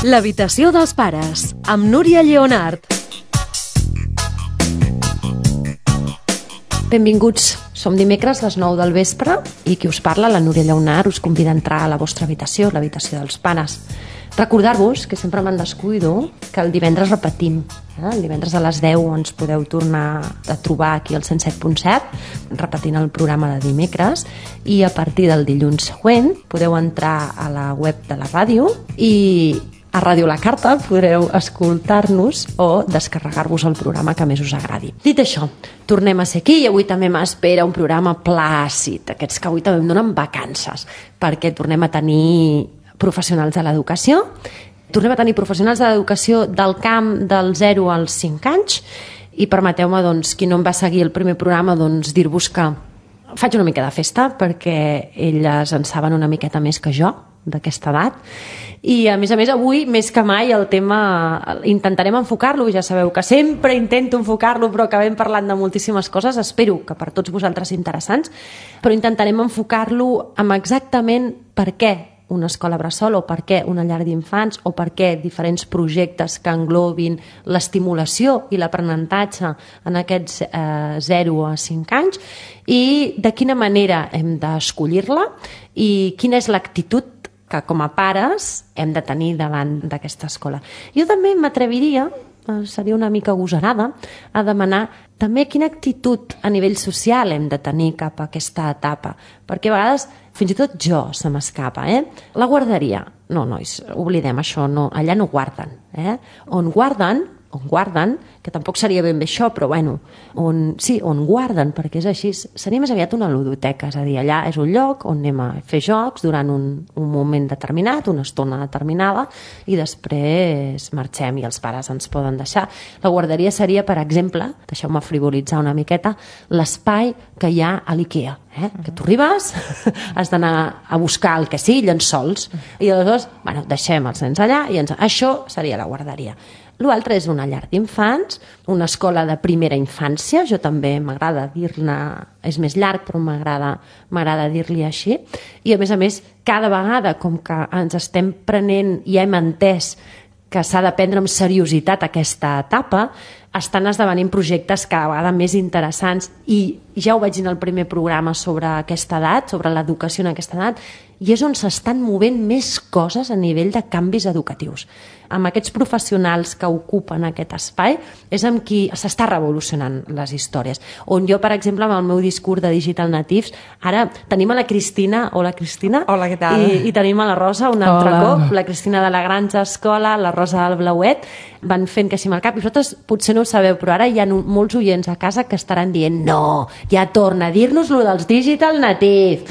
L'habitació dels pares, amb Núria Lleonart. Benvinguts. Som dimecres, les 9 del vespre, i qui us parla, la Núria Lleonart, us convida a entrar a la vostra habitació, l'habitació dels pares. Recordar-vos, que sempre me'n descuido, que el divendres repetim. El divendres a les 10 ens podeu tornar a trobar aquí al 107.7, repetint el programa de dimecres, i a partir del dilluns següent podeu entrar a la web de la ràdio i a Ràdio La Carta podreu escoltar-nos o descarregar-vos el programa que més us agradi. Dit això, tornem a ser aquí i avui també m'espera un programa plàcid, aquests que avui també em donen vacances, perquè tornem a tenir professionals de l'educació, tornem a tenir professionals de l'educació del camp del 0 als 5 anys i permeteu-me, doncs, qui no em va seguir el primer programa, doncs, dir-vos que faig una mica de festa perquè elles en saben una miqueta més que jo d'aquesta edat i a més, avui més que mai el tema intentarem enfocar-lo, ja sabeu que sempre intento enfocar-lo però acabem parlant de moltíssimes coses, espero que per tots vosaltres interessants, però intentarem enfocar-lo amb exactament per què una escola bressol o per què una llar d'infants o per què diferents projectes que englobin l'estimulació i l'aprenentatge en aquests 0 a 5 anys i de quina manera hem d'escollir-la i quina és l'actitud que com a pares hem de tenir davant d'aquesta escola. Jo també m'atreviria, seria una mica agosarada, a demanar també quina actitud a nivell social hem de tenir cap a aquesta etapa, perquè a vegades fins i tot jo se m'escapa. La guarderia, no, nois, oblidem això, no, allà no guarden. On guarden, que tampoc seria ben bé això, però bueno, on guarden, perquè és així, seria més aviat una ludoteca, és a dir, allà és un lloc on anem a fer jocs durant un moment determinat, una estona determinada, i després marxem i els pares ens poden deixar. La guarderia seria, per exemple, deixeu-me frivolitzar una miqueta, l'espai que hi ha a l'IKEA, que tu arribes, has d'anar a buscar el que sigui, llençols, i aleshores, bueno, deixem els nens allà, i això seria la guarderia. L'altre és una llar d'infants, una escola de primera infància, jo també m'agrada dir-ne, és més llarg però m'agrada dir-li així, i a més, cada vegada com que ens estem prenent i hem entès que s'ha de prendre amb seriositat aquesta etapa, estan esdevenint projectes cada vegada més interessants i ja ho vaig dir en el primer programa sobre aquesta edat, sobre l'educació en aquesta edat, i és on s'estan movent més coses a nivell de canvis educatius. Amb aquests professionals que ocupen aquest espai és amb qui s'està revolucionant les històries. On jo, per exemple, amb el meu discurs de Digital Natives, ara tenim a la Cristina, hola Cristina. Hola, què tal? I tenim a la Rosa un altre cop, la Cristina de la Granja Escola, la Rosa del Blauet, van fent que sí amb el cap, i vosaltres potser no ho sabeu, però ara hi ha molts oients a casa que estaran dient no, ja torna a dir-nos lo dels Digital Natives,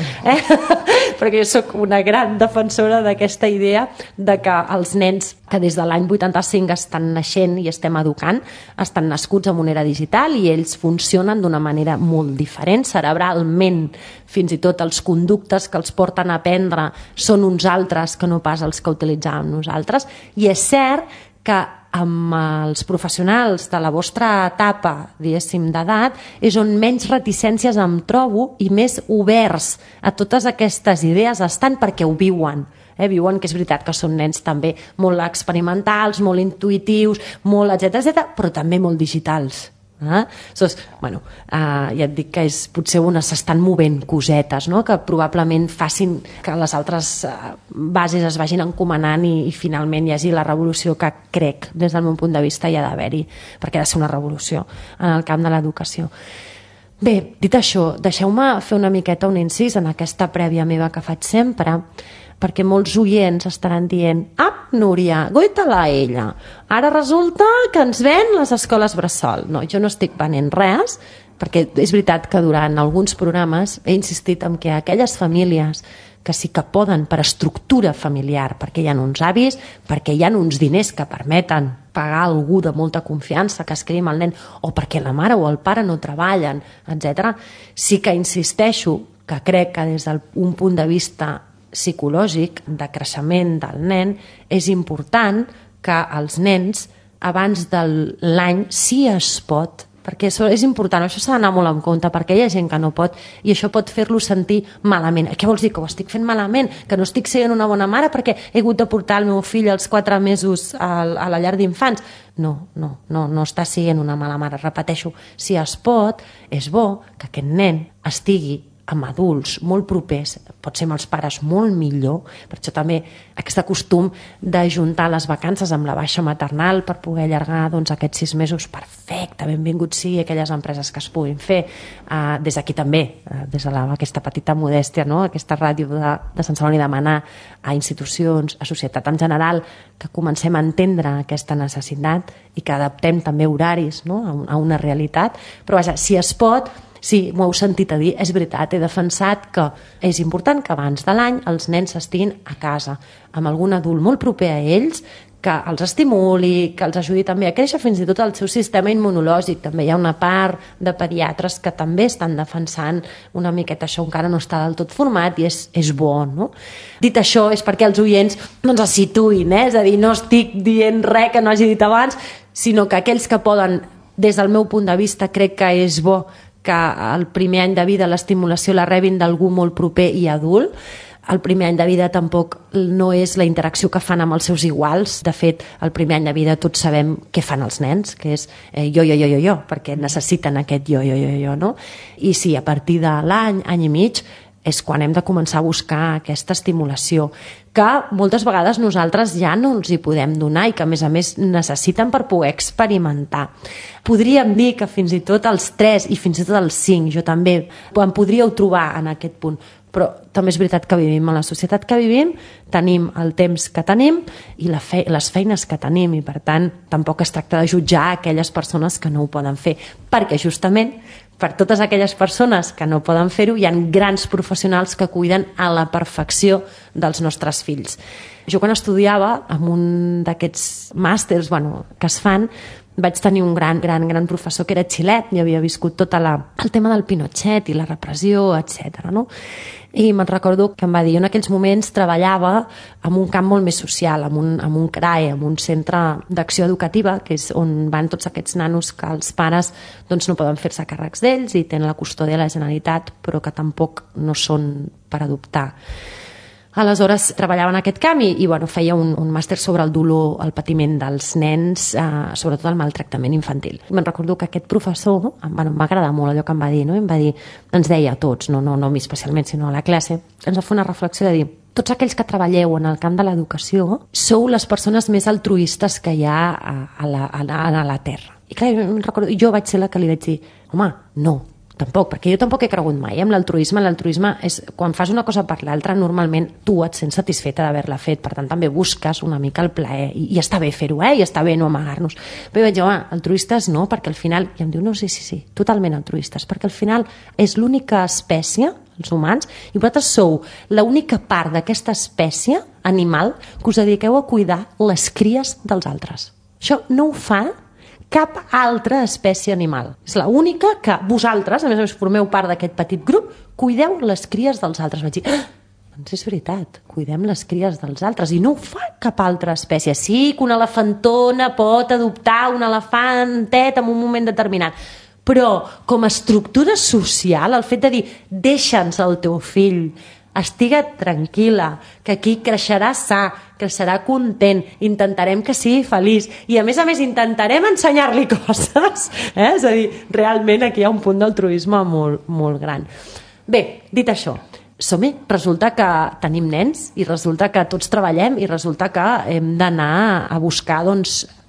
perquè jo sóc una gran defensora d'aquesta idea de que els nens que des de l'any 85 estan naixent i estem educant, estan nascuts amb una era digital i ells funcionen d'una manera molt diferent, cerebralment, fins i tot els conductes que els porten a aprendre són uns altres que no pas els que utilitzàvem nosaltres, i és cert que amb els professionals de la vostra etapa, diguéssim, d'edat, és on menys reticències em trobo i més oberts a totes aquestes idees estan perquè ho viuen. Viuen que és veritat que són nens també molt experimentals, molt intuïtius, molt etcètera, però també molt digitals. Aleshores, bueno, ja et dic que potser on s'estan movent cosetes, no? Que probablement facin que les altres bases es vagin encomanant i finalment hi hagi la revolució que crec, des del meu punt de vista, hi ha d'haver-hi, perquè ha de ser una revolució en el camp de l'educació. Bé, dit això, deixeu-me fer una miqueta un incís en aquesta prèvia meva que faig sempre, perquè molts oients estaran dient Núria, goita-la ella, ara resulta que ens ven les escoles bressol. No, jo no estic venent res, perquè és veritat que durant alguns programes he insistit en que aquelles famílies que sí que poden per estructura familiar, perquè hi ha uns avis, perquè hi ha uns diners que permeten pagar algú de molta confiança que es quedi amb el nen, o perquè la mare o el pare no treballen, etc. Sí que insisteixo que crec que des d'un punt de vista psicològic, de creixement del nen, és important que els nens abans de l'any, si es pot, perquè això és important, això s'ha d'anar molt en compte, perquè hi ha gent que no pot, i això pot fer-lo sentir malament. Què vols dir, que ho estic fent malament? Que no estic sent una bona mare perquè he hagut de portar el meu fill als 4 mesos a la llar d'infants? No està sent una mala mare. Repeteixo, si es pot, és bo que aquest nen estigui amb adults molt propers, pot ser amb els pares molt millor, per això també aquest costum de juntar les vacances amb la baixa maternal per poder allargar aquests 6 mesos, perfecte, benvingut sigui aquelles empreses que es puguin fer, des d'aquí també, des d'aquesta petita modèstia, no? Aquesta ràdio de Sant Celoni, demanar a institucions, a societat en general, que comencem a entendre aquesta necessitat i que adaptem també horaris, no? A una realitat, però vaja, si es pot. Sí, m'ho heu sentit a dir, és veritat, he defensat que és important que abans de l'any els nens estiguin a casa, amb algun adult molt proper a ells, que els estimuli, que els ajudi també a créixer fins i tot el seu sistema immunològic. També hi ha una part de pediatres que també estan defensant una miqueta això, encara no està del tot format i és bo, no? Dit això, és perquè els oients es situïn, és a dir, no estic dient res que no hagi dit abans, sinó que aquells que poden, des del meu punt de vista, crec que és bo que el primer any de vida l'estimulació la rebin d'algú molt proper i adult. El primer any de vida tampoc no és la interacció que fan amb els seus iguals. De fet, el primer any de vida tots sabem què fan els nens, que és jo, perquè necessiten aquest jo, no? I sí, a partir de l'any, any i mig, és quan hem de començar a buscar aquesta estimulació que moltes vegades nosaltres ja no els hi podem donar i que a més necessiten per poder experimentar. Podríem dir que fins i tot als 3 i fins i tot als 5, jo també em podríeu trobar en aquest punt, però també és veritat que vivim a la societat que vivim, tenim el temps que tenim i les feines que tenim, i per tant tampoc es tracta de jutjar aquelles persones que no ho poden fer, perquè justament per totes aquelles persones que no poden fer-ho hi ha grans professionals que cuiden a la perfecció dels nostres fills. Jo quan estudiava en un d'aquests màsters que es fan, vaig tenir un gran professor que era xilet i havia viscut tot el tema del Pinochet i la repressió, etc. No? I me'n recordo que em va dir, jo en aquells moments treballava en un camp molt més social, en un CRAE, en un centre d'acció educativa, que és on van tots aquests nanos que els pares no poden fer-se càrrecs d'ells i tenen la custòdia de la Generalitat, però que tampoc no són per adoptar. Aleshores treballava en aquest camp i feia un màster sobre el dolor, el patiment dels nens, sobretot el maltractament infantil. Me'n recordo que aquest professor, m'ha agradat molt allò que em va dir, no? Em va dir, ens deia a tots, no a mi especialment, sinó a la classe, ens va fer una reflexió de dir, tots aquells que treballeu en el camp de l'educació sou les persones més altruistes que hi ha a la Terra. I clar, jo vaig ser la que li vaig dir, home, no, tampoc, perquè jo tampoc he cregut mai en l'altruisme. L'altruisme és quan fas una cosa per l'altra, normalment tu et sents satisfeta d'haver-la fet, per tant també busques una mica el plaer i està bé fer-ho, i està bé no amagar-nos. Però jo vaig dir, altruistes no, perquè al final, i em diu, no, sí, totalment altruistes, perquè al final és l'única espècie, els humans, i vosaltres sou l'única part d'aquesta espècie animal que us dediqueu a cuidar les cries dels altres. Això no ho fa cap altra espècie animal. És l'única que vosaltres, a més formeu part d'aquest petit grup, cuideu les cries dels altres. Vaig dir, doncs és veritat, cuidem les cries dels altres i no ho fa cap altra espècie. Sí que una elefantona pot adoptar un elefantet en un moment determinat, però com a estructura social, el fet de dir deixa'ns el teu fill, estiga tranquil·la, que aquí creixerà sa, creixerà content, intentarem que sigui feliç i a més intentarem ensenyar-li coses, és a dir, realment aquí hi ha un punt d'altruisme molt, molt gran. Bé, dit això, som-hi, resulta que tenim nens i resulta que tots treballem i resulta que hem d'anar a buscar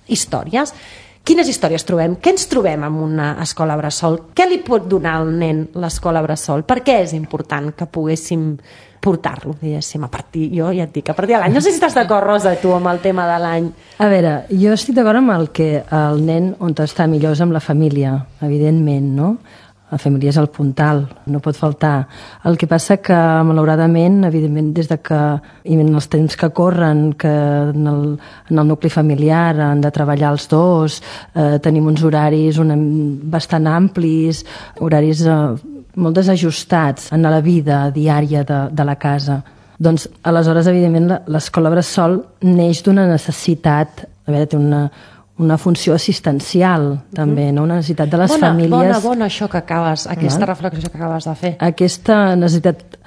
històries. Quines històries trobem? Què ens trobem en una escola bressol? Què li pot donar al nen l'escola bressol? Per què és important que poguéssim portar-lo, diguéssim, a partir, jo ja et dic, a partir de l'any. No sé si estàs d'acord, Rosa, tu, amb el tema de l'any. A veure, jo estic d'acord amb el que el nen on està millor és amb la família, evidentment, no? La família és el puntal, no pot faltar. El que passa que, malauradament, evidentment, des de que, i en els temps que corren, que en el nucli familiar han de treballar els dos, tenim uns horaris bastant amplis, horaris molt desajustats en la vida diària de la casa. Doncs, aleshores, evidentment, l'escola bressol neix d'una necessitat, a veure, té una funció assistencial, també, no? Una necessitat de les famílies... Bona això que acabes, aquesta reflexió que acabes de fer. Aquesta necessitat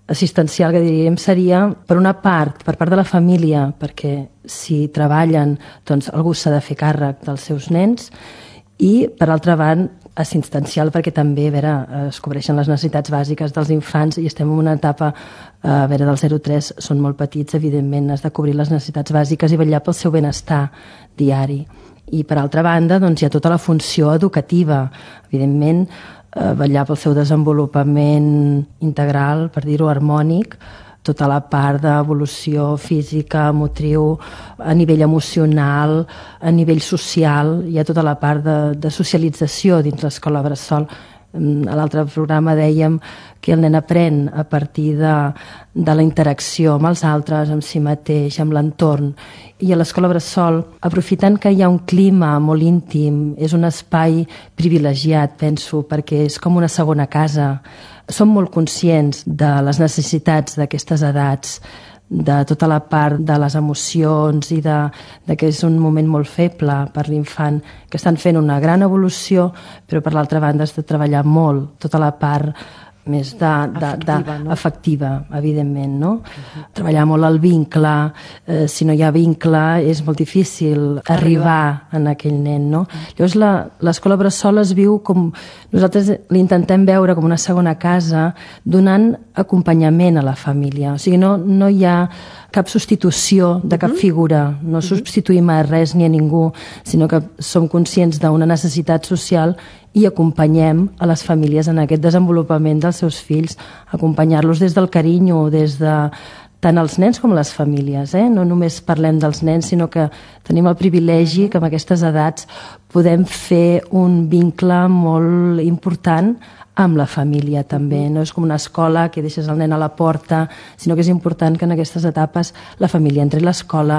assistencial que diríem seria, per una part, per part de la família, perquè si treballen, doncs algú s'ha de fer càrrec dels seus nens, i, per altra banda, assistencial perquè també es cobreixen les necessitats bàsiques dels infants i estem en una etapa del 0-3, són molt petits, evidentment has de cobrir les necessitats bàsiques i vetllar pel seu benestar diari. I per altra banda doncs, hi ha tota la funció educativa, evidentment vetllar pel seu desenvolupament integral, per dir-ho harmònic, tota la part d'evolució física, motriu, a nivell emocional, a nivell social, hi ha tota la part de socialització dins l'escola bressol. A l'altre programa dèiem que el nen aprèn a partir de la interacció amb els altres, amb si mateix, amb l'entorn. I a l'escola bressol, aprofitant que hi ha un clima molt íntim, és un espai privilegiat, penso, perquè és com una segona casa. Som molt conscients de les necessitats d'aquestes edats, de tota la part de les emocions i de que és un moment molt feble per l'infant, que estan fent una gran evolució, però per l'altra banda has de treballar molt tota la part més afectiva, evidentment, no? Treballar molt el vincle, si no hi ha vincle és molt difícil arribar en aquell nen, no? Llavors l'escola bressol es viu com, nosaltres l'intentem veure com una segona casa, donant acompanyament a la família, o sigui, no hi ha cap substitució de cap figura, no substituïm a res ni a ningú, sinó que som conscients d'una necessitat social i acompanyem a les famílies en aquest desenvolupament dels seus fills, acompanyar-los des del carinyo, des de tant els nens com les famílies, no només parlem dels nens, sinó que tenim el privilegi que amb aquestes edats podem fer un vincle molt important amb la família també, no és com una escola que deixes el nen a la porta, sinó que és important que en aquestes etapes la família entri a l'escola,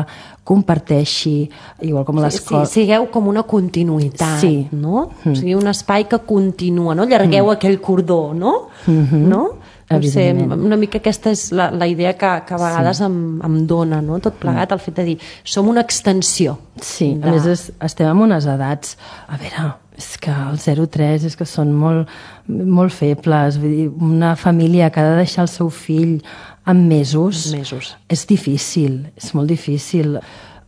comparteixi, igual com a l'escola... Sí, sigueu com una continuïtat, no? O sigui, un espai que continua, no? Allargueu aquell cordó, no? No? Potser una mica aquesta és la idea que a vegades em dona, no? Tot plegat, el fet de dir, som una extensió. Sí, a més estem en unes edats, a veure, és que el 0-3 és que són molt febles, vull dir, una família que ha de deixar el seu fill en mesos. És difícil, és molt difícil.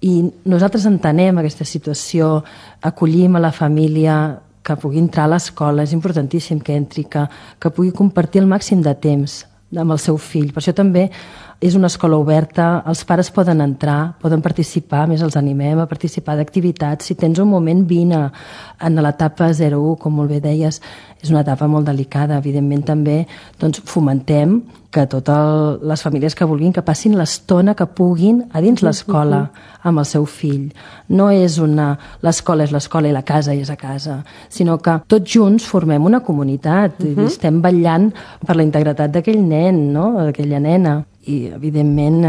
I nosaltres entenem aquesta situació, acollim a la família que pugui entrar a l'escola, és importantíssim que entri, que pugui compartir el màxim de temps amb el seu fill. Per això també és una escola oberta, els pares poden entrar, poden participar, més els animem a participar d'activitats. Si tens un moment, vine. En l'etapa 0-1, com molt bé deies, és una etapa molt delicada. Evidentment també doncs, fomentem que totes les famílies que vulguin que passin l'estona que puguin a dins l'escola amb el seu fill. No és l'escola és l'escola i la casa és a casa, sinó que tots junts formem una comunitat i estem vetllant per la integritat d'aquell nen, no? D'aquella nena. I, evidentment,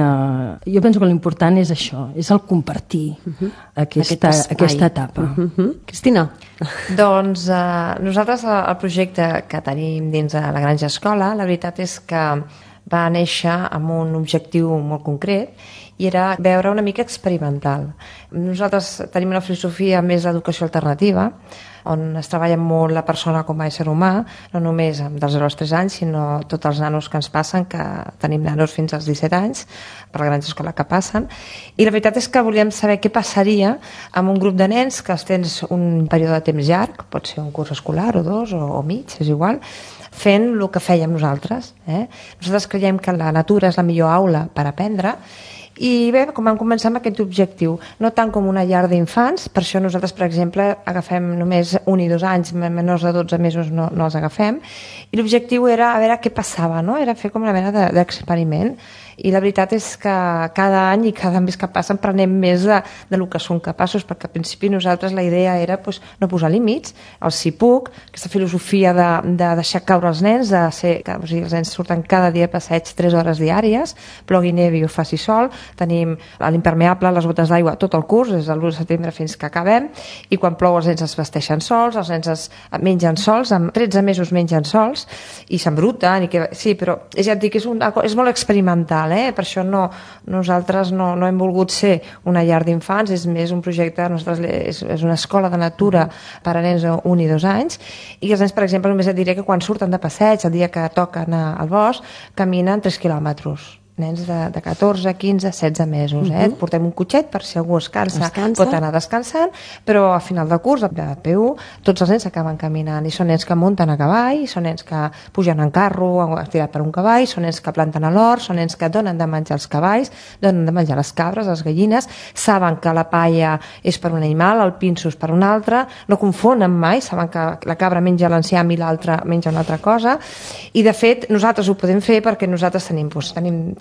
jo penso que l'important és això, és el compartir aquesta etapa. Cristina? Doncs nosaltres el projecte que tenim dins de la Granja Escola, la veritat és que va néixer amb un objectiu molt concret i era veure una mica experimental. Nosaltres tenim una filosofia més d'educació alternativa, on es treballa molt la persona com a ésser humà, no només dels 0 als 3 anys, sinó tots els nanos que ens passen, que tenim nanos fins als 17 anys, per la Granja Escola que passen, i la veritat és que volíem saber què passaria amb un grup de nens que els tens un període de temps llarg, pot ser un curs escolar o 2 o mig, és igual, fent el que fèiem nosaltres. Nosaltres creiem que la natura és la millor aula per aprendre. I bé, com vam començar amb aquest objectiu, no tant com una llar d'infants, per això nosaltres, per exemple, agafem només 1 i 2 anys, menors de 12 mesos no els agafem, i l'objectiu era a veure què passava, no? Era fer com una mena d'experiment, i la veritat és que cada any i cada mes que passen prenem més del que som capaços, perquè al principi nosaltres la idea era no posar límits, el si puc, aquesta filosofia de deixar caure els nens, o sigui, els nens surten cada dia a passeig 3 hores diàries, plogui, nevi o faci sol, tenim l'impermeable, les botes d'aigua, tot el curs, des de l'1 de setembre fins que acabem, i quan plou els nens es vesteixen sols, els nens es mengen sols, amb 13 mesos mengen sols, i s'embruten, sí, però ja et dic, és molt experimental. rural, per això nosaltres no hem volgut ser una llar d'infants, és més un projecte, és una escola de natura per a nens de 1 i 2 anys, i els nens, per exemple, només et diré que quan surten de passeig, el dia que toca anar al bosc, caminen 3 quilòmetres. Nens de 14, 15, 16 mesos. Portem un cotxet per si algú es cansa, pot anar descansant, però a final de curs, de P1, tots els nens acaben caminant, i són nens que munten a cavall, són nens que pugen en carro estirat per un cavall, són nens que planten a l'hort, són nens que donen de menjar als cavalls, donen de menjar les cabres, les gallines, saben que la palla és per un animal, el pinso és per un altre, no confonen mai, saben que la cabra menja l'enciam i l'altra menja una altra cosa, i de fet nosaltres ho podem fer perquè nosaltres tenim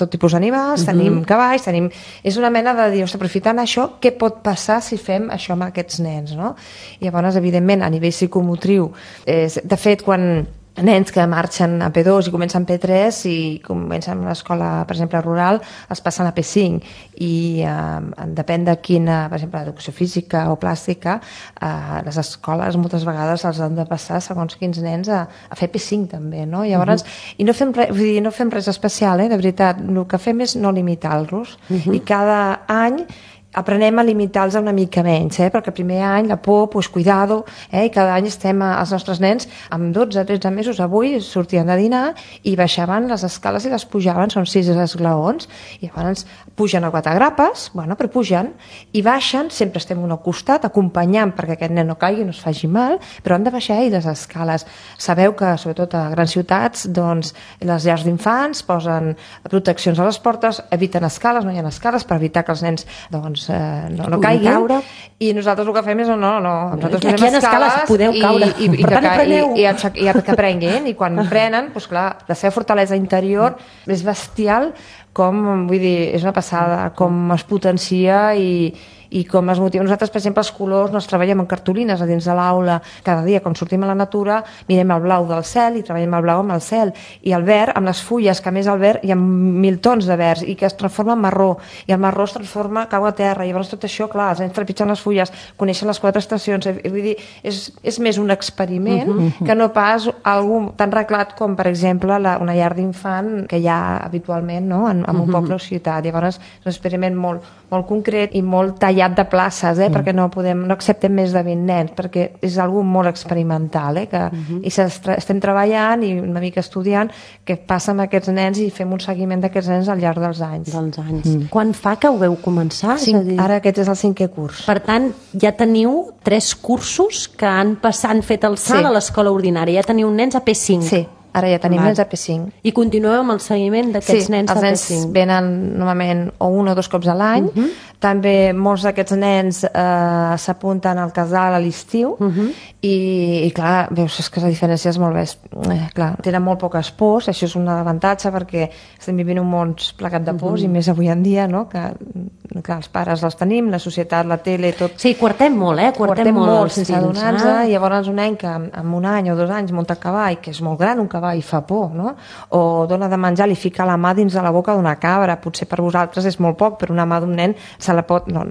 tot tipus d'animals, tenim cavalls, és una mena de dir, aprofitant això, què pot passar si fem això amb aquests nens, no? I llavors, evidentment, a nivell psicomotriu, de fet, quan nens que marxen a P2 i comencen P3 i comencen a l'escola, per exemple, rural, els passen a P5 i depèn de quina, per exemple, educació física o plàstica, les escoles moltes vegades els han de passar segons quins nens a fer P5 també, no? Llavors, i no fem res especial, de veritat, el que fem és no limitar-los i cada any aprenem a limitar-los una mica menys, perquè el primer any la por, pues cuidado, i cada any estem els nostres nens amb 12-13 mesos, avui sortien de dinar i baixaven les escales i les pujaven, són 6 esglaons, i llavors pugen a 4 grapes, bueno, però pugen i baixen, sempre estem un al costat acompanyant perquè aquest nen no caigui, no es faci mal, però han de baixar les escales. Sabeu que, sobretot a grans ciutats, doncs, les llars d'infants posen proteccions a les portes, eviten escales, no hi ha escales per evitar que els nens, doncs, no caiguin, i nosaltres el que fem és nosaltres aquí hi ha escales, podeu caure, i que aprenguin, i quan prenen, doncs clar, la seva fortalesa interior és bestial, com, vull dir, és una passada, com es potencia i com es motiva. Nosaltres, per exemple, els colors no els treballem en cartolines a dins de l'aula cada dia, quan sortim a la natura mirem el blau del cel i treballem el blau amb el cel, i el verd amb les fulles, que a més el verd hi ha 1000 tons de verds i que es transforma en marró, i el marró es transforma, cau a terra, i llavors tot això, clar, els nens trepitgen les fulles, coneixen les 4 estacions, vull dir, és més un experiment que no pas algú tan reglat com, per exemple, una llar d'infant que hi ha habitualment, no?, en un poble o ciutat. Llavors és un experiment molt concret i molt tallat de places, perquè no acceptem més de 20 nens, perquè és algo molt experimental, i estem treballant i una mica estudiant què passa amb aquests nens i fem un seguiment d'aquests nens al llarg dels anys. Quan fa que ho veu començar? Ara aquest és el 5è curs. Per tant, ja teniu 3 cursos que han fet el salt a l'escola ordinària, ja teniu nens a P5. Sí. Ara ja tenim nens a P5. I continueu amb el seguiment d'aquests nens a P5? Sí, els nens venen normalment o 1 o 2 cops a l'any. També molts d'aquests nens s'apunten al casal a l'estiu i clar, veus que la diferència és molt clar, tenen molt poques pors, això és un avantatge perquè estem vivint un món plegat de pors i més avui en dia, no? Que els pares els tenim, la societat, la tele, tot... Sí, quartem molt, quartem molt sense adonar-nos, i llavors un nen que amb 1 any o 2 anys munta a cavall, que és molt gran un cavall i fa por, no? O dona de menjar, li fica la mà dins de la boca d'una cabra, potser per vosaltres és molt poc, però una mà d'un nen se la pot... No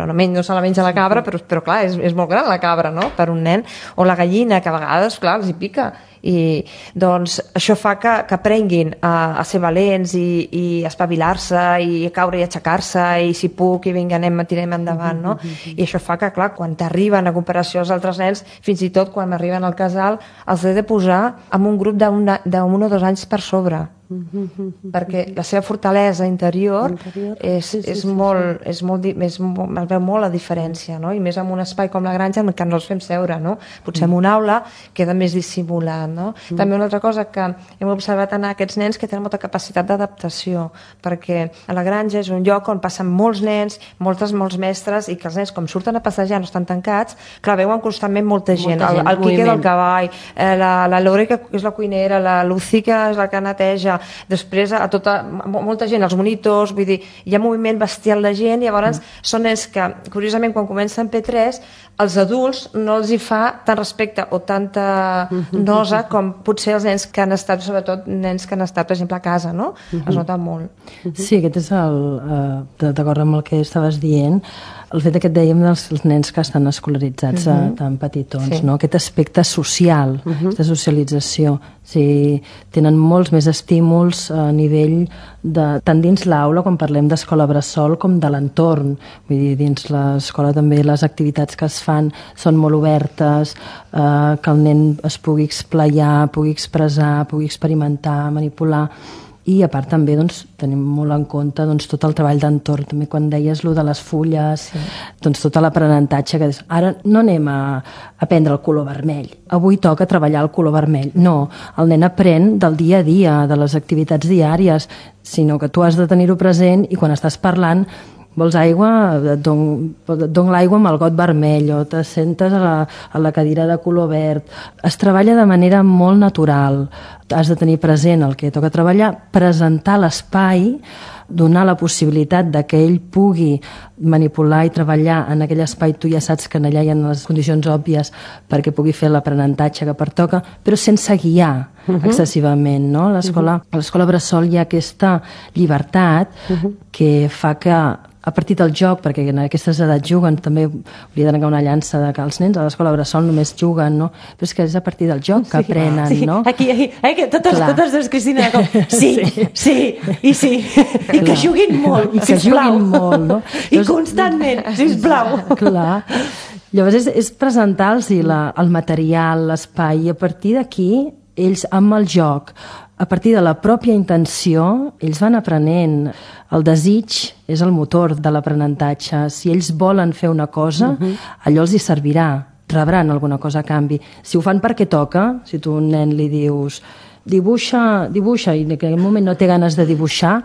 se la menja la cabra, però clar, és molt gran la cabra, no?, per un nen. O la gallina, que a vegades, clar, els hi pica. I doncs això fa que aprenguin a ser valents i espavilar-se i a caure i aixecar-se i si puc i vinga, tirem endavant, no? I això fa que, clar, quan t'arriben a comparació als altres nens, fins i tot quan arriben al casal els he de posar en un grup d'1 o 2 anys per sobre, perquè la seva fortalesa interior es veu molt la diferència, no? I més en un espai com la granja en què no els fem seure, no? Potser en una aula queda més dissimulat, no? També una altra cosa que hem observat en aquests nens que tenen molta capacitat d'adaptació, perquè a la granja és un lloc on passen molts nens, molts mestres, i que els nens, com surten a passejar, no estan tancats, clar, veuen constantment molta gent, el Quique del cavall, la Lore, que és la cuinera, la Lucy, que és la que neteja, després a molta gent, els monitors, vull dir, hi ha moviment bestial de gent, i llavors són nens que, curiosament, quan comencen P3, els adults no els hi fa tant respecte o tanta nosa com potser els nens que han estat, sobretot nens que han estat, per exemple, a casa, no? Es nota molt. Sí, aquest és d'acord amb el que estaves dient, el fet que et dèiem dels nens que estan escolaritzats tan petitons, no? Aquest aspecte social, aquesta socialització. Tenen molts més estímuls a nivell tant dins l'aula, quan parlem d'escola bressol, com de l'entorn. Vull dir, dins l'escola també les activitats que es fan són molt obertes, que el nen es pugui esplaiar, pugui expressar, pugui experimentar, manipular. I a part també tenim molt en compte tot el treball d'entorn. També quan deies lo de les fulles, tot l'aprenentatge que ara no anem a aprendre el color vermell, avui toca treballar el color vermell. No, el nen aprèn del dia a dia, de les activitats diàries, sinó que tu has de tenir-ho present i quan estàs parlant vols aigua, et dono l'aigua amb el got vermell, o te sentes a la cadira de color verd. Es treballa de manera molt natural. Has de tenir present el que toca treballar, presentar l'espai, donar la possibilitat de que ell pugui manipular i treballar en aquell espai. Tu ja saps que allà hi ha les condicions òbvies perquè pugui fer l'aprenentatge que pertoca, però sense guiar excessivament, no? A l'escola bressol hi ha aquesta llibertat que fa que a partir del joc, perquè en aquestes edats juguen, també hauria d'anar una llança de que els nens a l'escola bressol només juguen, no? Però és que és a partir del joc que aprenen, no? Aquí, que totes dues, Cristina, com sí, i que juguin molt, i que juguin molt, no? I constantment, sisplau. Clar. Llavors és presentar-los el material, l'espai, i a partir d'aquí ells amb el joc, a partir de la pròpia intenció, ells van aprenent. El desig és el motor de l'aprenentatge. Si ells volen fer una cosa, allò els hi servirà, rebran alguna cosa a canvi. Si ho fan perquè toca, si tu a un nen li dius dibuixa, i en aquell moment no té ganes de dibuixar,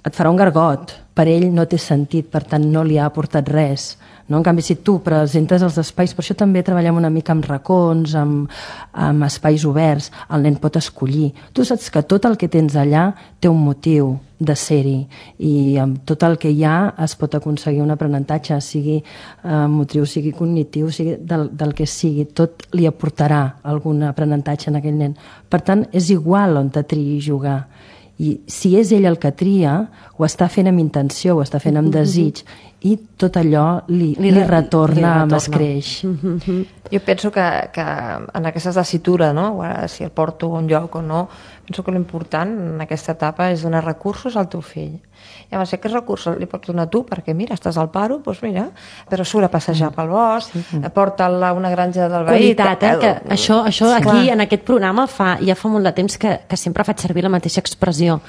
et farà un gargot. Per ell no té sentit, per tant no li ha aportat res. No? En canvi, si tu presentes els espais, per això també treballem una mica amb racons, amb espais oberts, el nen pot escollir. Tu saps que tot el que tens allà té un motiu de ser-hi, i amb tot el que hi ha es pot aconseguir un aprenentatge, sigui motriu, sigui cognitiu, sigui del que sigui, tot li aportarà algun aprenentatge en aquell nen. Per tant, és igual on te triï jugar. I si és ell el que tria, ho està fent amb intenció, ho està fent amb desig, i tot allò li retorna amb escreix. Jo penso que en aquesta tessitura, no? Si el porto a un lloc o no, penso que l'important en aquesta etapa és donar recursos al teu fill. I llavors, aquests recursos li pots donar tu, perquè mira, estàs al paro, doncs mira, però surt a passejar pel bosc, porta'l a una granja del veí. Qualitat, que això aquí, en aquest programa, ja fa molt de temps que sempre faig servir la mateixa expressió.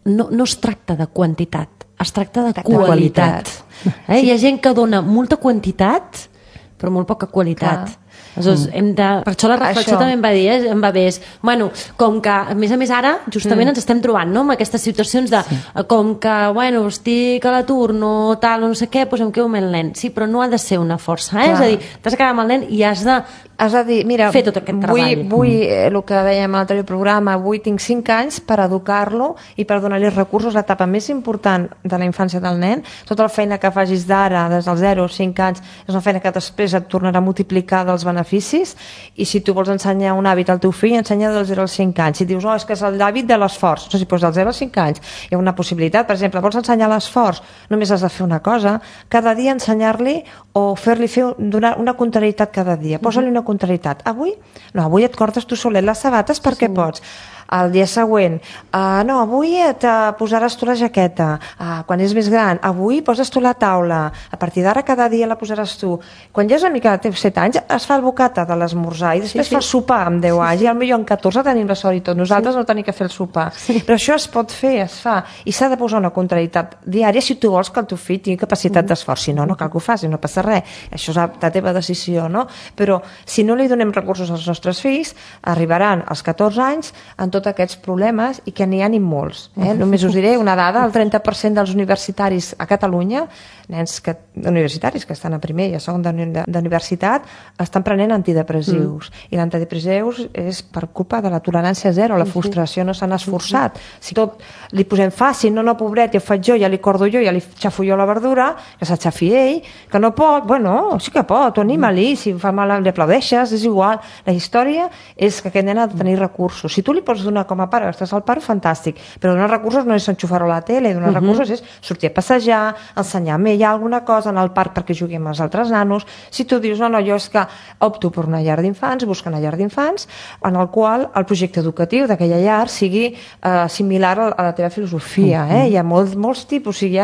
No es tracta de quantitat, es tracta de qualitat. Hi ha gent que dona molta quantitat, però molt poca qualitat. Aleshores, per això la reflexió també em va bé, bueno, com que a més ara justament ens estem trobant, no?, amb aquestes situacions de com que, bueno, estic a l'atur, no tal, no sé què, doncs em quedo amb el nen. Sí, però no ha de ser una força, és a dir, t'has de quedar amb el nen i has de dir, mira, fer tot aquest treball. Vull el que dèiem a l'altre programa, avui tinc 5 anys per educar-lo i per donar-li recursos, l'etapa més important de la infància del nen. Tota la feina que facis d'ara, des dels 0 o 5 anys, és una feina que després et tornarà a multiplicar dels beneficis, i si tu vols ensenyar un hàbit al teu fill, ensenya dels 0 als 5 anys. Si dius, és que és l'hàbit de l'esforç, si poses dels 0 als 5 anys, hi ha una possibilitat. Per exemple, vols ensenyar l'esforç, només has de fer una cosa, cada dia ensenyar-li o fer-li donar una contrarietat cada dia. Posa-li una contrarietat. Avui et cortes tu solet les sabates perquè pots. El dia següent, no, avui et posaràs tu la jaqueta, quan és més gran, avui poses tu la taula, a partir d'ara cada dia la posaràs tu. Quan ja és una mica de 7 anys, es fa el bocata de l'esmorzar i després fa el sopar amb 10 anys, i potser amb 14 tenim la sort i tot, nosaltres no tenim que fer el sopar. Però això es pot fer, es fa, i s'ha de posar una contrarietat diària si tu vols que el teu fill tingui capacitat d'esforç. Si no, no cal que ho faci, no passa res, això és la teva decisió, no? Però si no li donem recursos als nostres fills, arribaran als 14 anys amb tots aquests problemes, i que n'hi ha ni molts. Només us diré una dada, el 30% dels universitaris a Catalunya, nens universitaris que estan a primer i a segon d'universitat, estan prenent antidepressius. I l'antidepressius és per culpa de la tolerància zero, la frustració, no s'han esforçat. Si tot li posem fàcil, no, pobret, ja ho faig jo, ja li cordo jo, ja li xafo jo la verdura, que s'aixafi ell, que no pot, bueno, sí que pot, anima-li, si fa mal li aplaudeixes, és igual. La història és que aquest nen ha de tenir recursos. Si tu li pots pots donar com a pare, estàs al pare, fantàstic, però donar recursos no és enxufar-ho a la tele, donar recursos és sortir a passejar, ensenyar-me ja alguna cosa, anar al parc perquè jugui amb els altres nanos. Si tu dius, no, jo és que opto per una llar d'infants, busca una llar d'infants, en el qual el projecte educatiu d'aquella llar sigui similar a la teva filosofia. Hi ha molts tipus, o sigui,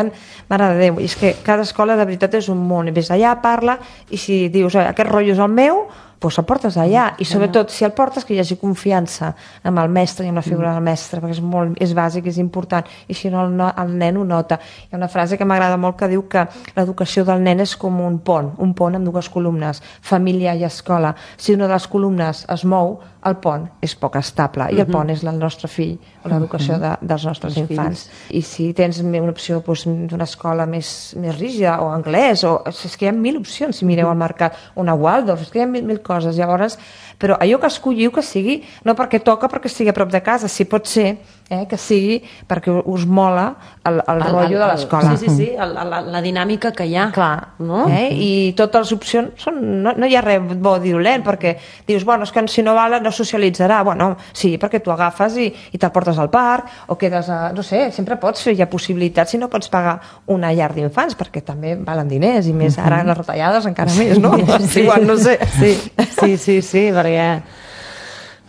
mare de Déu, és que cada escola de veritat és un món, i ves allà, parla, i si dius, aquest rotllo és el meu, doncs el portes allà, i sobretot si el portes que hi hagi confiança amb el mestre i amb la figura del mestre, perquè és bàsic, és important, i si no el nen ho nota. Hi ha una frase que m'agrada molt que diu que l'educació del nen és com un pont amb dues columnes, família i escola. Si una de les columnes es mou, el pont és poc estable, i el pont és el nostre fill, o l'educació dels nostres infants. I si tens una opció d'una escola més rígida, o anglès, és que hi ha 1000 opcions, si mireu al mercat, una Waldorf, és que hi ha 1000 coses. Llavors, però allò que escolliu que sigui, no perquè toca, perquè estigui a prop de casa, si pot ser que sigui perquè us mola el rotllo de l'escola. Sí, la dinàmica que hi ha. Clar, no? I totes les opcions no hi ha res bo o dolent, perquè dius, bueno, és que si no val no socialitzarà. Bueno, sí, perquè tu agafes i te'l portes al parc, o quedes no sé, sempre pots fer, hi ha possibilitats si no pots pagar una llar d'infants, perquè també valen diners, i més ara les retallades encara més, no? Igual, no sé. Sí, perquè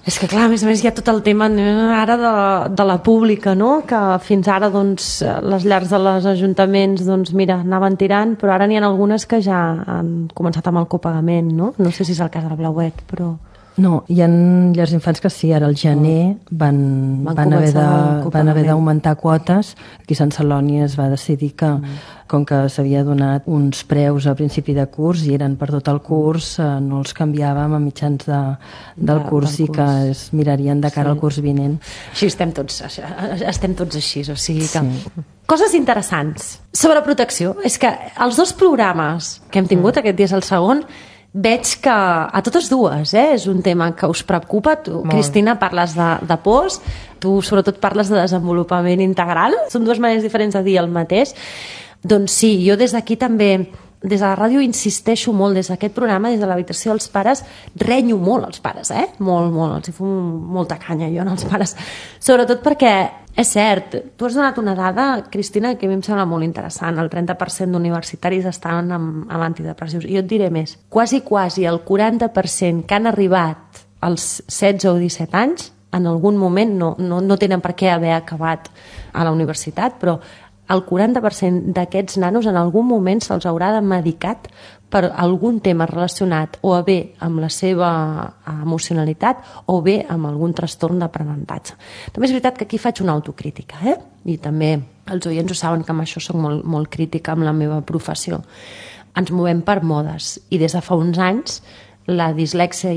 és que clar, a més hi ha tot el tema ara de la pública, no? Que fins ara doncs les llars dels ajuntaments doncs mira, anaven tirant, però ara n'hi ha algunes que ja han començat amb el copagament, no? No sé si és el cas del Blauet, però... No, hi ha llars d'infants que sí, ara al gener van haver d'augmentar quotes. Aquí a Sant Celoni es va decidir que, com que s'havia donat uns preus a principi de curs i eren per tot el curs, no els canviàvem a mitjans del curs i que es mirarien de cara al curs vinent. Així estem tots així, o sigui que... Coses interessants sobre protecció. És que els dos programes que hem tingut, aquest dia és el segon, veig que a totes dues és un tema que us preocupa. Tu, Cristina, parles de pors, tu sobretot parles de desenvolupament integral. Són dues maneres diferents de dir el mateix. Doncs sí, jo des d'aquí també, des de la ràdio insisteixo molt, des d'aquest programa, des de l'habitació dels pares, renyo molt als pares, molt, els hi fum molta canya jo als pares, sobretot perquè és cert, tu has donat una dada, Cristina, que a mi em sembla molt interessant. El 30% d'universitaris estan amb antidepressius. I jo et diré més. Quasi el 40% que han arribat als 16 o 17 anys, en algun moment, no tenen per què haver acabat a la universitat, però el 40% d'aquests nanos en algun moment se'ls haurà de medicat per algun tema relacionat o bé amb la seva emocionalitat o bé amb algun trastorn d'aprenentatge. També és veritat que aquí faig una autocrítica, i també els oients ho saben que amb això soc molt, molt crítica amb la meva professió. Ens movem per modes i des de fa uns anys la dislèxia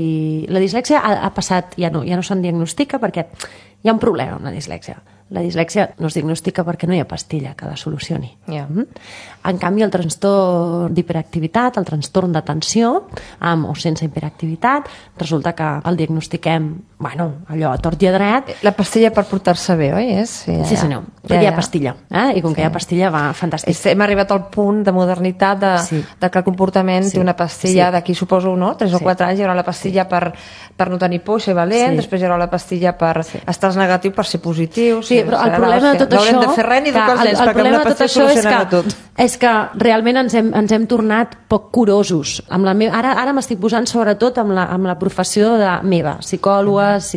ha passat, ja no se'n diagnostica perquè hi ha un problema amb la dislèxia. La dislèxia no es diagnostica perquè no hi ha pastilla que la solucioni. En canvi, el trastorn d'hiperactivitat, el trastorn d'atenció, amb o sense hiperactivitat, resulta que el diagnostiquem, allò a tort i a dret. La pastilla per portar-se bé, oi? Sí, senyor. Perquè hi ha pastilla. I com que hi ha pastilla va fantàstic. Hem arribat al punt de modernitat de que el comportament té una pastilla d'aquí, suposo, 3 o 4 anys, hi haurà la pastilla per no tenir por i ser valent, després hi haurà la pastilla per estar negatiu, per ser positiu. Sí, però el problema de tot això... No haurem de fer res ni educar els nens, perquè amb la pastilla solucionarà tot. És que realment ens hem tornat poc curosos. Ara m'estic posant sobretot amb la professió meva, psicòlogues,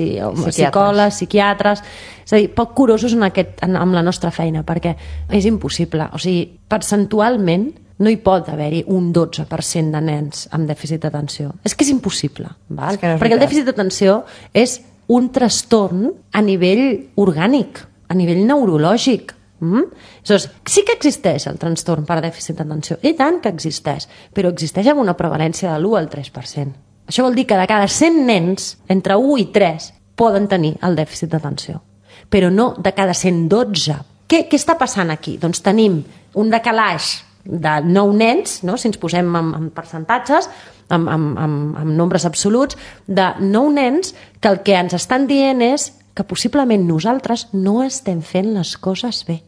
psicòlegs, psiquiatres, és a dir, poc curosos amb la nostra feina, perquè és impossible. O sigui, percentualment no hi pot haver-hi un 12% de nens amb dèficit d'atenció. És que és impossible, perquè el dèficit d'atenció és un trastorn a nivell orgànic, a nivell neurològic. Aleshores, sí que existeix el trastorn per dèficit d'atenció, i tant que existeix, però existeix amb una prevalència de l'1 al 3%. Això vol dir que de cada 100 nens, entre 1 i 3 poden tenir el dèficit d'atenció, però no de cada 112. Què està passant aquí? Doncs tenim un decalaix de 9 nens, si ens posem en percentatges, amb nombres absoluts, de 9 nens que el que ens estan dient és que possiblement nosaltres no estem fent les coses bé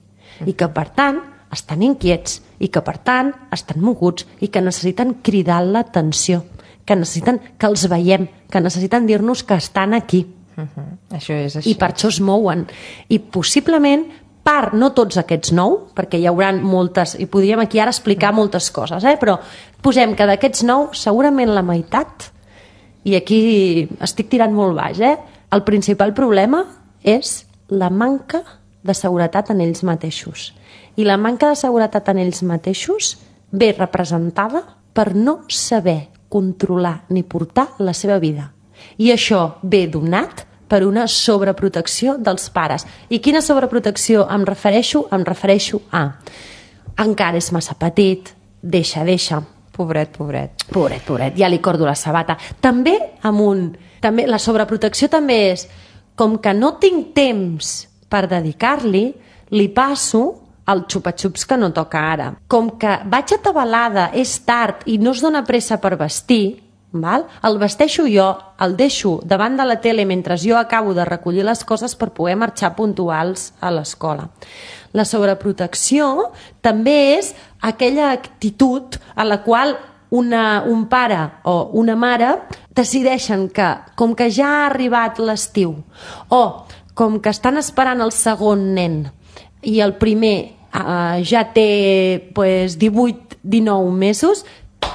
i que per tant estan inquiets i que per tant estan moguts i que necessiten cridar l'atenció, que necessiten que els veiem, que necessiten dir-nos que estan aquí. Això és així. I per això es mouen. I possiblement, no tots aquests 9, perquè hi haurà moltes, i podríem aquí ara explicar moltes coses, però posem que d'aquests 9, segurament la meitat, i aquí estic tirant molt baix, el principal problema és la manca de seguretat en ells mateixos. I la manca de seguretat en ells mateixos ve representada per no saber controlar ni portar la seva vida. I això ve donat per una sobreprotecció dels pares. I quina sobreprotecció em refereixo? Em refereixo a encara és massa petit, deixa. Pobret. Pobret, ja li cordo la sabata. També la sobreprotecció també és com que no tinc temps per dedicar-li, li passo el xupa-xups que no toca ara. Com que vaig atabalada, és tard i no es dona pressa per vestir, el vesteixo jo, el deixo davant de la tele mentre jo acabo de recollir les coses per poder marxar puntuals a l'escola. La sobreprotecció també és aquella actitud a la qual un pare o una mare decideixen que, com que ja ha arribat l'estiu, o com que estan esperant el segon nen i el primer ja té 18-19 mesos,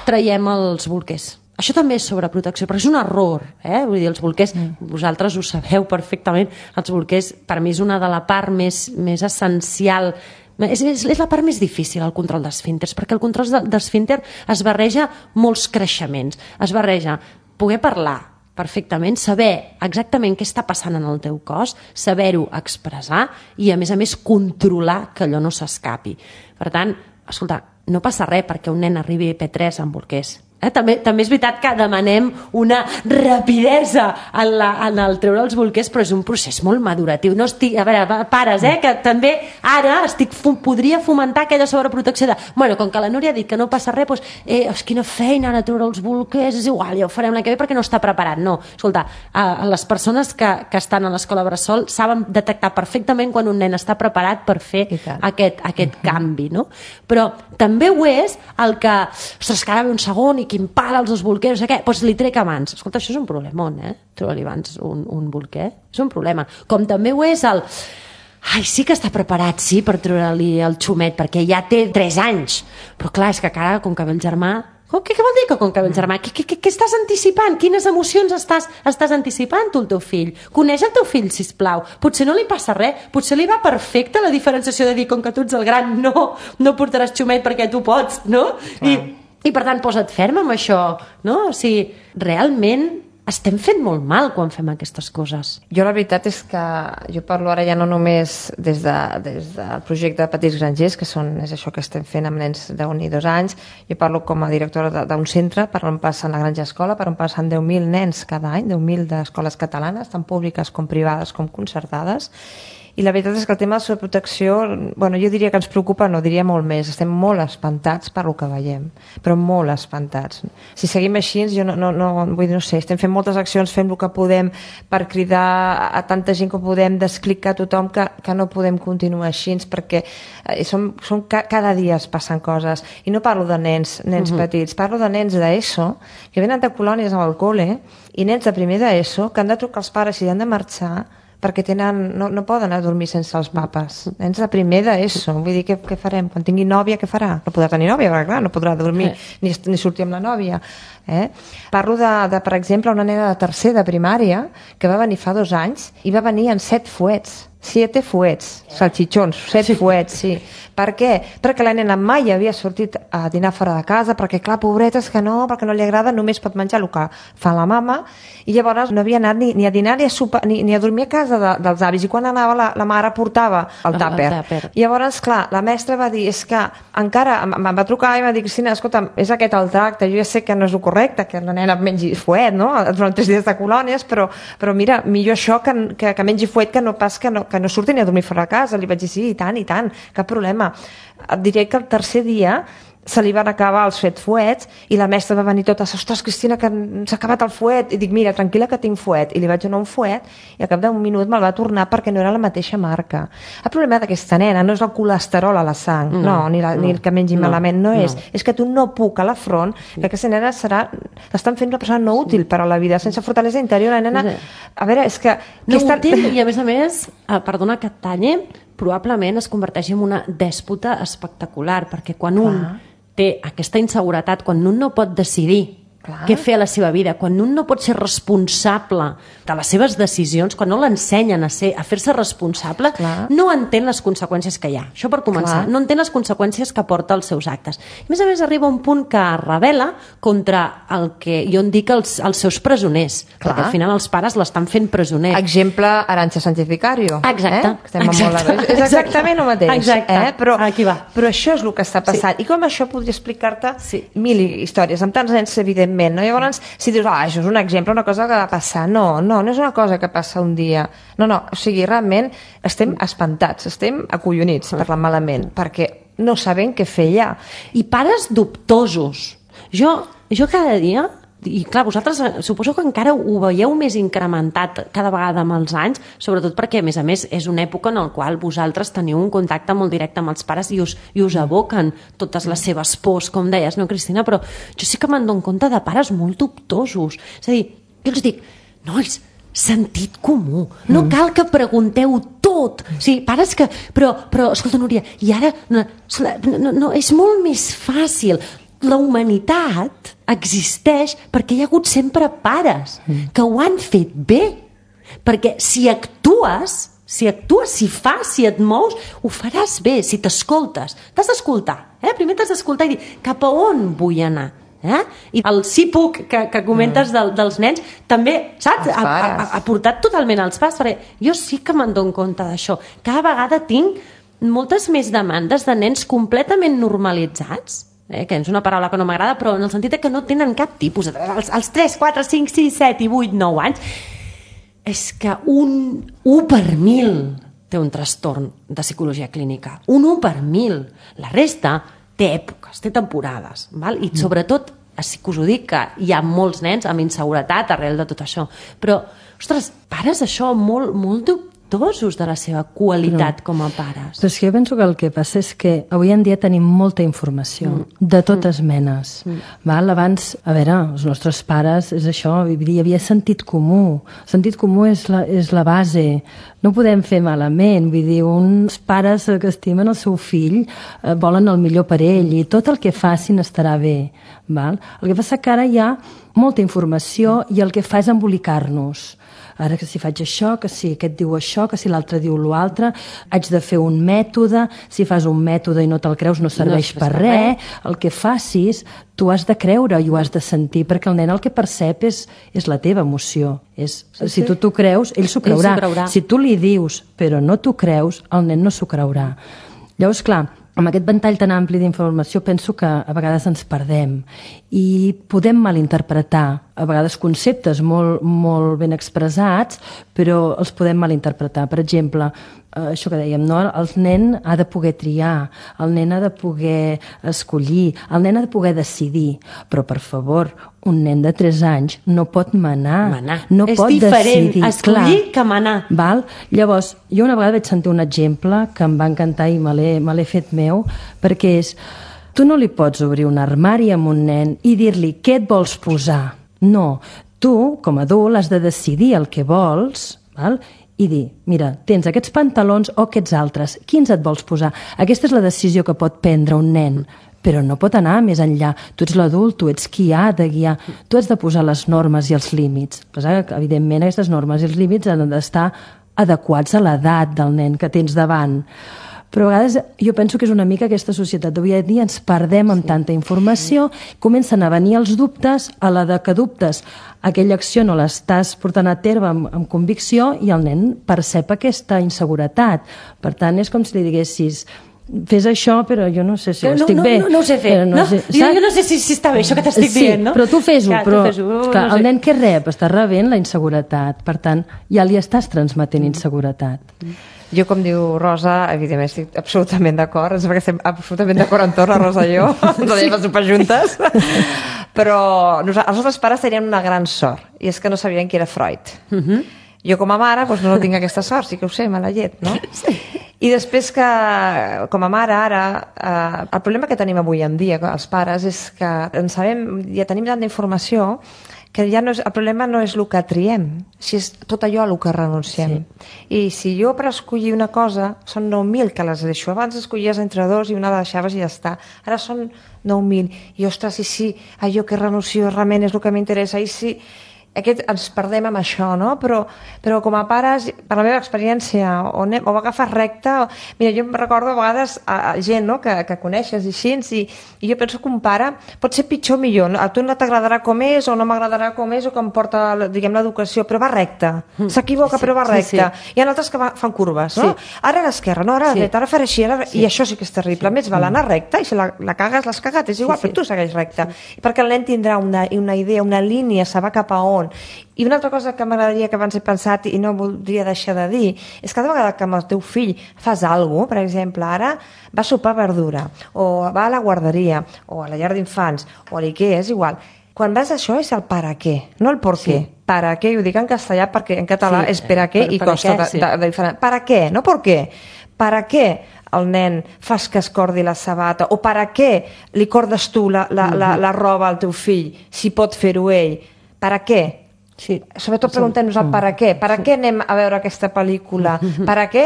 traiem els bolquers. Això també és sobreprotecció, però és un error, Vull dir, els bolquers, vosaltres ho sabeu perfectament, els bolquers per mi és una de la part més essencial, és la part més difícil, el control d'esfínters, perquè el control d'esfínter es barreja molts creixements, es barreja poder parlar perfectament, saber exactament què està passant en el teu cos, saber-ho expressar i a més controlar que allò no s'escapi. Per tant, escolta, no passa res perquè un nen arribi a P3 amb bolquers. També és veritat que demanem una rapidesa en el treure els bolquers, però és un procés molt maduratiu. No estic, a veure, pares, que també ara podria fomentar aquella sobreprotecció de, com que la Núria ha dit que no passa res, quina feina ara treure els bolquers, és igual, ja ho farem l'any que ve perquè no està preparat. No, escolta, les persones que estan a l'escola bressol saben detectar perfectament quan un nen està preparat per fer aquest canvi, no? Però també ho és el que, ostres, que ara ve un segon i quin pal als dos bolquers, no sé què, doncs li trec abans. Escolta, això és un problemón, trobar-li abans un bolquer. És un problema. Com també ho és el... sí que està preparat, sí, per treure-li el xumet, perquè ja té 3 anys. Però clar, és que encara, com que ve el germà... Què vol dir que com que ve el germà? Què estàs anticipant? Quines emocions estàs anticipant tu, el teu fill? Coneix el teu fill, sisplau. Potser no li passa res. Potser li va perfecte la diferenciació de dir, com que tu ets el gran, no portaràs xumet perquè tu pots, no? I per tant, posa't ferm amb això, no? O sigui, realment estem fent molt mal quan fem aquestes coses. Jo la veritat és que jo parlo ara ja no només des del projecte de Petits Grangers, que és això que estem fent amb nens d'1 i 2 anys. Jo parlo com a directora d'un centre per on passen la Granja Escola, per on passen 10.000 nens cada any, 10.000 d'escoles catalanes, tant públiques com privades com concertades. I la veritat és que el tema de la sobreprotecció, jo diria que ens preocupa, no, diria molt més. Estem molt espantats per el que veiem, però molt espantats. Si seguim així, jo no sé, estem fent moltes accions, fem el que podem per cridar a tanta gent com podem, d'explicar a tothom que no podem continuar així, perquè cada dia es passen coses. I no parlo de nens petits, parlo de nens d'ESO, que venen de colònies al col·le, i nens de primer d'ESO, que han de trucar els pares i han de marxar perquè no poden anar a dormir sense els papes. Nens de primer d'ESO. Vull dir, què farem? Quan tingui nòvia, què farà? No podrà tenir nòvia, perquè clar, no podrà dormir ni sortir amb la nòvia. Parlo de, per exemple, una nena de tercer de primària que va venir fa 2 anys i va venir en 7 fuets. 7 fuets, salchichons, 7 fuets, sí. Per què? Perquè la nena mai havia sortit a dinar fora de casa, perquè clar, pobreta, és que no, perquè no li agrada, només pot menjar el que fa la mama, i llavors no havia anat ni a dinar ni a sopar, ni a dormir a casa dels avis, i quan anava la mare portava el tàper. I llavors, clar, la mestra va dir, és que encara, em va trucar i em va dir, Cristina, escolta, és aquest el tracte, jo ja sé que no és el correcte, que la nena mengi fuet, no?, durant 3 dies de colònies, però mira, millor això que mengi fuet que no pas que no surti ni a dormir fora de casa. Li vaig dir, sí, i tant, cap problema. Et diré que el tercer dia se li van acabar els fuets i la mestra va venir tota, ostres, Cristina, que s'ha acabat el fuet, i dic, mira, tranquil·la que tinc fuet, i li vaig donar un fuet i al cap d'un minut me'l va tornar perquè no era la mateixa marca. El problema d'aquesta nena no és el colesterol a la sang, ni el que mengi malament, és que tu no puc a la front, que aquesta nena l'estan fent una persona no útil per a la vida, sense fortalesa interior, la nena, a veure, és que... No útil, i a més, perdona que et talle, probablement es converteix en una dèspota espectacular, perquè quan un té aquesta inseguretat, quan un no pot decidir què fer a la seva vida, quan un no pot ser responsable de les seves decisions, quan no l'ensenyen a fer-se responsable, no entén les conseqüències que hi ha. Això per començar. No entén les conseqüències que porta als seus actes. I a més arriba un punt que rebel·la contra el que jo en dic els seus presoners, perquè al final els pares l'estan fent presoner. Exemple, Arantxa Sánchez Vicario. Exacte. És exactament el mateix. Exacte. Però això és el que està passant. I com això podria explicar-te mil històries, amb tants nens, evidentment. No? Llavors, si dius, això és un exemple, una cosa que va passar, no és una cosa que passa un dia. No, o sigui, realment estem espantats, estem acollonits, parlant malament, perquè no sabem què fer ja. I pares dubtosos. Jo cada dia, i clar, vosaltres suposo que encara ho veieu més incrementat cada vegada amb els anys, sobretot perquè, a més, és una època en la qual vosaltres teniu un contacte molt directe amb els pares i us aboquen totes les seves pors, com deies, no, Cristina? Però jo sí que me'n dono compte de pares molt dubtosos. És a dir, jo els dic, nois, sentit comú. No cal que pregunteu tot. O sigui, pares que... Però escolta, Núria, i ara... No, és molt més fàcil. La humanitat existeix perquè hi ha hagut sempre pares que ho han fet bé. Perquè si actues, si fas, si et mous, ho faràs bé, si t'escoltes. T'has d'escoltar. Primer t'has d'escoltar i dir cap a on vull anar. I el sí puc que comentes dels nens també, saps? Ha portat totalment als pares, perquè jo sí que me'n dono compte d'això. Cada vegada tinc moltes més demandes de nens completament normalitzats, que és una paraula que no m'agrada, però en el sentit que no tenen cap tipus, els 3, 4, 5, 6, 7 i 8, 9 anys, és que un 1 per 1.000 té un trastorn de psicologia clínica. Un 1 per 1.000. La resta té èpoques, té temporades, val? I sobretot, sí que us ho dic, que hi ha molts nens amb inseguretat arrel de tot això. Però, ostres, pares això molt dubtosos de la seva qualitat com a pares. Però és que jo penso que el que passa és que avui en dia tenim molta informació, de totes menes. Val? Abans, a veure, els nostres pares, és això, hi havia sentit comú. Sentit comú és la base. No podem fer malament, vull dir, uns pares que estimen el seu fill volen el millor per ell i tot el que facin estarà bé. Val? El que passa que ara hi ha molta informació i el que fa és embolicar-nos. Ara que si faig això, que si aquest diu això, que si l'altre diu l'altre, haig de fer un mètode, si fas un mètode i no te'l creus no serveix per res, el que facis tu has de creure i ho has de sentir, perquè el nen el que percep és la teva emoció. Si tu t'ho creus, ell s'ho creurà. Si tu li dius però no t'ho creus, el nen no s'ho creurà. Llavors, clar, amb aquest ventall tan ampli d'informació penso que a vegades ens perdem i podem malinterpretar a vegades conceptes molt ben expressats, però els podem malinterpretar. Per exemple, això que dèiem, no? El nen ha de poder triar, el nen ha de poder escollir, el nen ha de poder decidir, però per favor, un nen de 3 anys no pot manar. No pot decidir. És diferent escollir que manar. Val? Llavors, jo una vegada vaig sentir un exemple que em va encantar i me l'he fet meu, perquè és, tu no li pots obrir un armari amb un nen i dir-li què et vols posar. No, tu, com a adult, has de decidir el que vols, val? I dir, mira, tens aquests pantalons o aquests altres, quins et vols posar? Aquesta és la decisió que pot prendre un nen, però no pot anar més enllà. Tu ets l'adult, tu ets qui ha de guiar, tu has de posar les normes i els límits. Evidentment, aquestes normes i els límits han d'estar adequats a l'edat del nen que tens davant. Però a vegades jo penso que és una mica aquesta societat d'avui en dia, ens perdem amb tanta informació, comencen a venir els dubtes, a la de que dubtes aquella acció no l'estàs portant a terme amb convicció i el nen percep aquesta inseguretat. Per tant, és com si li diguessis fes això, però jo no sé si ho estic bé. No ho sé fer. Jo no sé si està bé això que t'estic dient, no? Sí, però tu fes-ho. El nen que rep està rebent la inseguretat. Per tant, ja li estàs transmetent inseguretat. Jo, com diu Rosa, evidentment estic absolutament d'acord, perquè estem absolutament d'acord en tot, la Rosa i jo, ens anem a sopar juntes, però els nostres pares tenien una gran sort, i és que no sabien qui era Freud. Jo com a mare doncs no tinc aquesta sort, sí que ho sé, mala llet, no? Sí. I després que, com a mare, ara, el problema que tenim avui en dia, els pares, és que ja tenim tanta informació que ja no és, el problema no és el que triem, si és tot allò a el que renunciem. Sí. I si jo per escollir una cosa, són 9.000 que les deixo. Abans escollies entre dos i una la deixaves i ja està. Ara són 9.000. I ostres, i si allò que renuncio realment és el que m'interessa, i si... ens perdem amb això, no? Però com a pares, per la meva experiència, o va agafar recte... Mira, jo em recordo a vegades gent, no?, que coneixes i així, i jo penso que un pare pot ser pitjor o millor. A tu no t'agradarà com és, o no m'agradarà com és, o com porta, diguem, l'educació, però va recte. S'equivoca, però va recte. Hi ha altres que fan curves, no? Ara a l'esquerra, no, ara a la dreta, ara faré així, i això sí que és terrible. A més, val anar recte, i si la cagues, l'has cagat, és igual, però tu segueix recte. Perquè el nen tindrà una idea, una línia, sabrà cap a on. I una altra cosa que m'agradaria que abans he pensat i no voldria deixar de dir és que cada vegada que amb el teu fill fas alguna cosa, per exemple, ara va a sopar verdura o va a la guarderia o a la llar d'infants o a l'IKEA, és igual. Quan vas a això és el para què, no el por què. Para què, ho dic en castellà perquè en català és per a què i costa de diferent. Para què, no por què. Para què el nen fas que es cordi la sabata o para què li cordes tu la roba al teu fill si pot fer-ho ell. Per a què? Sí. Sobretot preguntem-nos el per a què. Per a què anem a veure aquesta pel·lícula? Per a què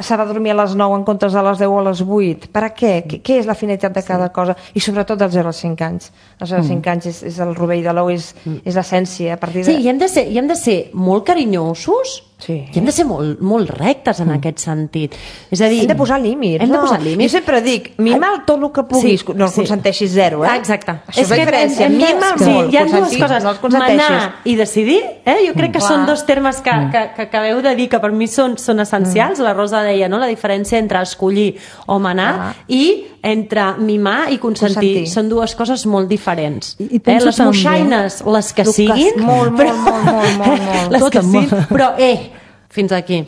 s'ha de dormir a les 9 en comptes de les 10 o a les 8? Per a què? Què és la finalitat de cada cosa? I sobretot dels 0 als 5 anys. Els 0 als 5 anys és el rovell de l'ou, és l'essència. Sí, i hem de ser molt carinyosos, i hem de ser molt rectes en aquest sentit. És a dir, hem de posar límits. Jo sempre dic, mima'l tot el que puguis, no el consenteixis 0, eh? Exacte. Això és la diferència, mima'l molt. Hi ha dues coses, manar i decidir, jo crec que són dos termes que acabeu de dir que per mi són essencials. La Rosa deia, no?, la diferència entre escollir o manar i entre mimar i consentir. Són dues coses molt diferents. Les moixaines, les que siguin, molt, les que siguin, però fins aquí.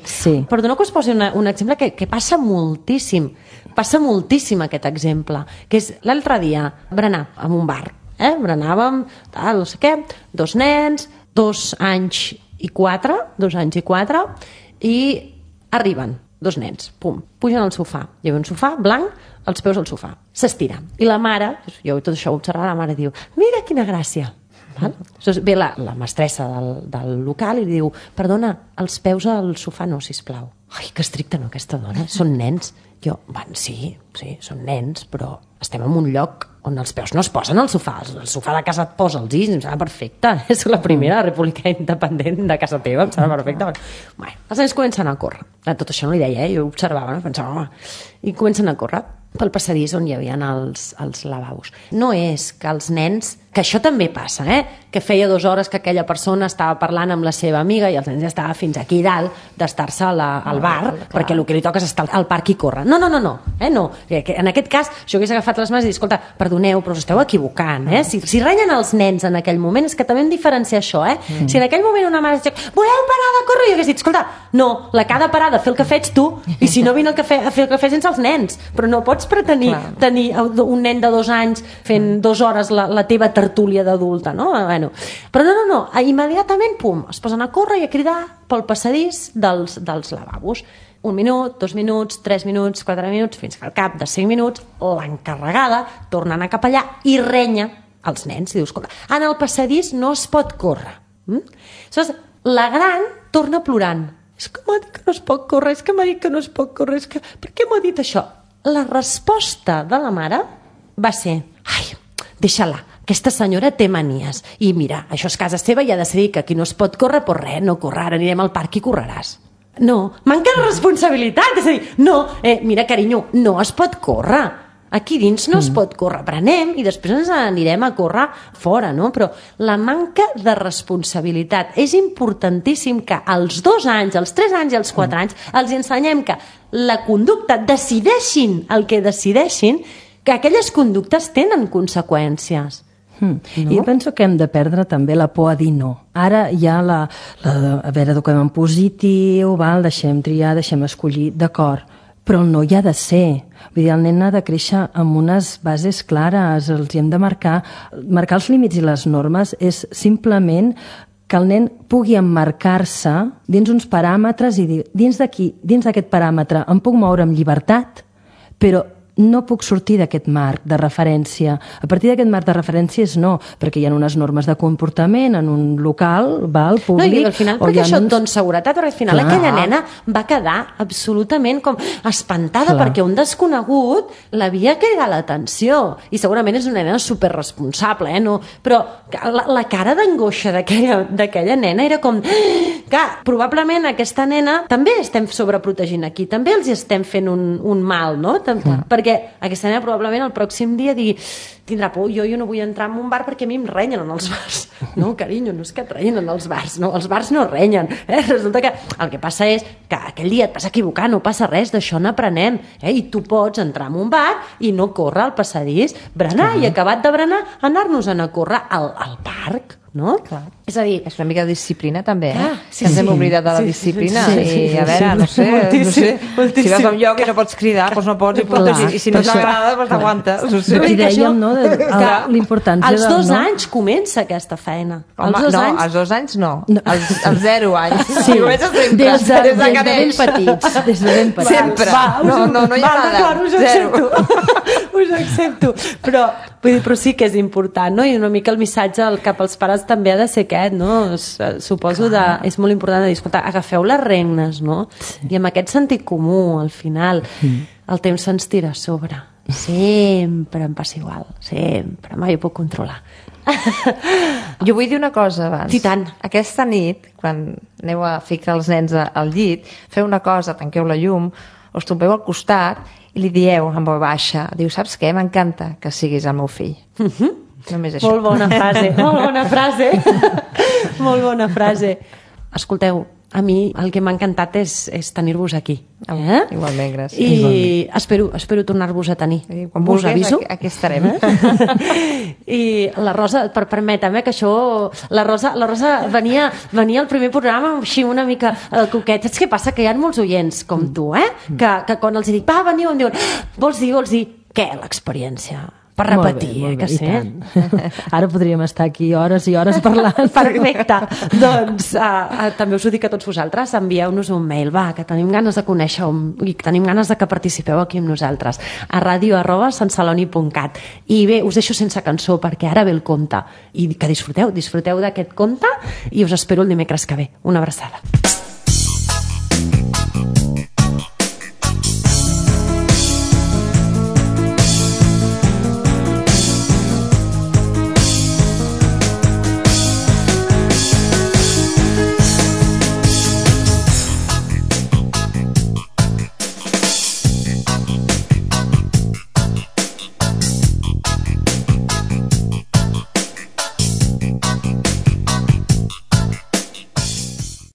Perdona que us posi un exemple que passa moltíssim. Passa moltíssim aquest exemple, que és l'altre dia berenar en un bar. Berenàvem, no sé què, 2 nens, 2 anys i 4, i arriben 2 nens, pum, pugen al sofà. Hi ha un sofà blanc, els peus al sofà. S'estira. I la mare, jo tot això ho observava, la mare diu, mira quina gràcia. Ve la mestressa del local i diu, perdona, els peus al sofà no, sisplau. Ai, que estricta, no, aquesta dona, són nens. Jo, sí, són nens, però estem en un lloc on els peus no es posen al sofà. El sofà de casa et posa els dits, em sembla perfecte. És la primera república independent de casa teva, em sembla perfecte. Bé, els nens comencen a córrer. Tot això no li deia, jo observava, pensava, home, i comencen a córrer pel passadís on hi havia els lavabos. No és que els nens, que això també passa, que feia 2 hores que aquella persona estava parlant amb la seva amiga i els nens ja estava fins aquí dalt d'estar-se al bar, perquè el que li toca és estar al parc i córrer. No. En aquest cas, jo hagués agafat les mans i dit, escolta, perdoneu, però us esteu equivocant. Si renyen els nens en aquell moment, és que també hem de diferenciar això. Si en aquell moment una mare diu, voleu parar de córrer? Jo hagués dit, escolta, no, la que ha de parar de fer el que faig tu, i si no vine a fer el que faig sense els nens. Però no pots pretenir tenir un nen de 2 anys fent 2 hores la teva tertúlia d'adulta, no? Però no, immediatament, pum, es posen a córrer i a cridar pel passadís dels lavabos. 1 minut, 2 minuts, 3 minuts, 4 minuts, fins que al cap de 5 minuts l'encarregada torna a anar cap allà i renya els nens i dius, escolta, en el passadís no es pot córrer. Aleshores, la gran torna plorant. És que m'ha dit que no es pot córrer, és que m'ha dit que no es pot córrer, és que... Per què m'ha dit això? La resposta de la mare va ser, ai, deixa-la, aquesta senyora té manies. I mira, això és casa seva i ha de decidir que aquí no es pot córrer, però res, no córrer, ara anirem al parc i correràs. No, manca de responsabilitat, és a dir, no, mira, carinyo, no es pot córrer. Aquí dins no es pot córrer, prenem i després ens anirem a córrer fora, no? Però la manca de responsabilitat és importantíssim que als 2 anys, als 3 anys i als 4 anys els ensenyem que la conducta, decideixin el que decideixin, que aquelles conductes tenen conseqüències. No? Jo penso que hem de perdre també la por a dir no. Ara hi ha a veure, eduquem en positiu, deixem triar, deixem escollir, d'acord, però el no hi ha de ser. Vull dir, el nen ha de créixer amb unes bases clares, els hi hem de marcar els límits i les normes és simplement que el nen pugui emmarcar-se dins uns paràmetres i dir, dins d'aquest paràmetre em puc moure amb llibertat, però no puc sortir d'aquest marc de referència. A partir d'aquest marc de referència és no, perquè hi ha unes normes de comportament en un local, públic... No, i al final perquè això et dona seguretat, perquè al final aquella nena va quedar absolutament com espantada perquè un desconegut l'havia cridat l'atenció. I segurament és una nena superresponsable, no? Però la cara d'angoixa d'aquella nena era com... Clar, probablement aquesta nena també estem sobreprotegint aquí, també els estem fent un mal, no? Perquè aquesta nena probablement el pròxim dia digui tindrà por, jo no vull entrar en un bar perquè a mi em renyen en els bars. No, carinyo, no és que et renyen en els bars, no, els bars no renyen. Resulta que el que passa és que aquell dia et vas equivocar, no passa res, d'això n'aprenem. I tu pots entrar en un bar i no córrer al passadís, berenar, i acabat de berenar, anar-nos-en a córrer al parc. No? Clar. És a dir, és una mica de disciplina també, sí, que ens hem oblidat de la disciplina i a veure, no sé, si vas a un lloc i no pots cridar, doncs no pots, i si no t'agrada, doncs t'aguantes. I dèiem, no, l'importància als 2 anys comença aquesta feina. Home, no, als 2 anys no, als 0 anys. Sí, des de ben petits. Des de ben petits. Sempre. No hi ha nada. Us accepto. Però sí que és important, no? I una mica el missatge cap als pares també ha de ser aquest, no? Suposo és molt important de dir, escolta, agafeu les regnes, no? I amb aquest sentit comú, al final, el temps se'ns tira a sobre. Sempre em passa igual, sempre, mai ho puc controlar. Jo vull dir una cosa abans. I tant. Aquesta nit, quan aneu a ficar els nens al llit, feu una cosa, tanqueu la llum, us tombeu al costat i li dieu en veu baixa, diu, saps què? M'encanta que siguis el meu fill. Només això. Molt bona frase, molt bona frase. Molt bona frase. Escolteu, a mi el que m'ha encantat és tenir-vos aquí. Igualment, gràcies. I espero tornar-vos a tenir. Quan vulguis, aquí estarem. I la Rosa, permetem que això... La Rosa venia al primer programa així una mica coquet. Saps què passa? Que hi ha molts oients com tu, que quan els dic, va, veniu, em diuen, vols dir què, l'experiència? Per repetir, molt bé, que sí. Ara podríem estar aquí hores i hores parlant. Perfecte. Doncs també us ho dic a tots vosaltres, envieu-nos un mail, que tenim ganes de conèixer i tenim ganes de que participeu aquí amb nosaltres a radio@santceloni.cat. I bé, us deixo sense cançó perquè ara ve el conte i que disfruteu d'aquest conte i us espero el dimecres que ve. Una abraçada.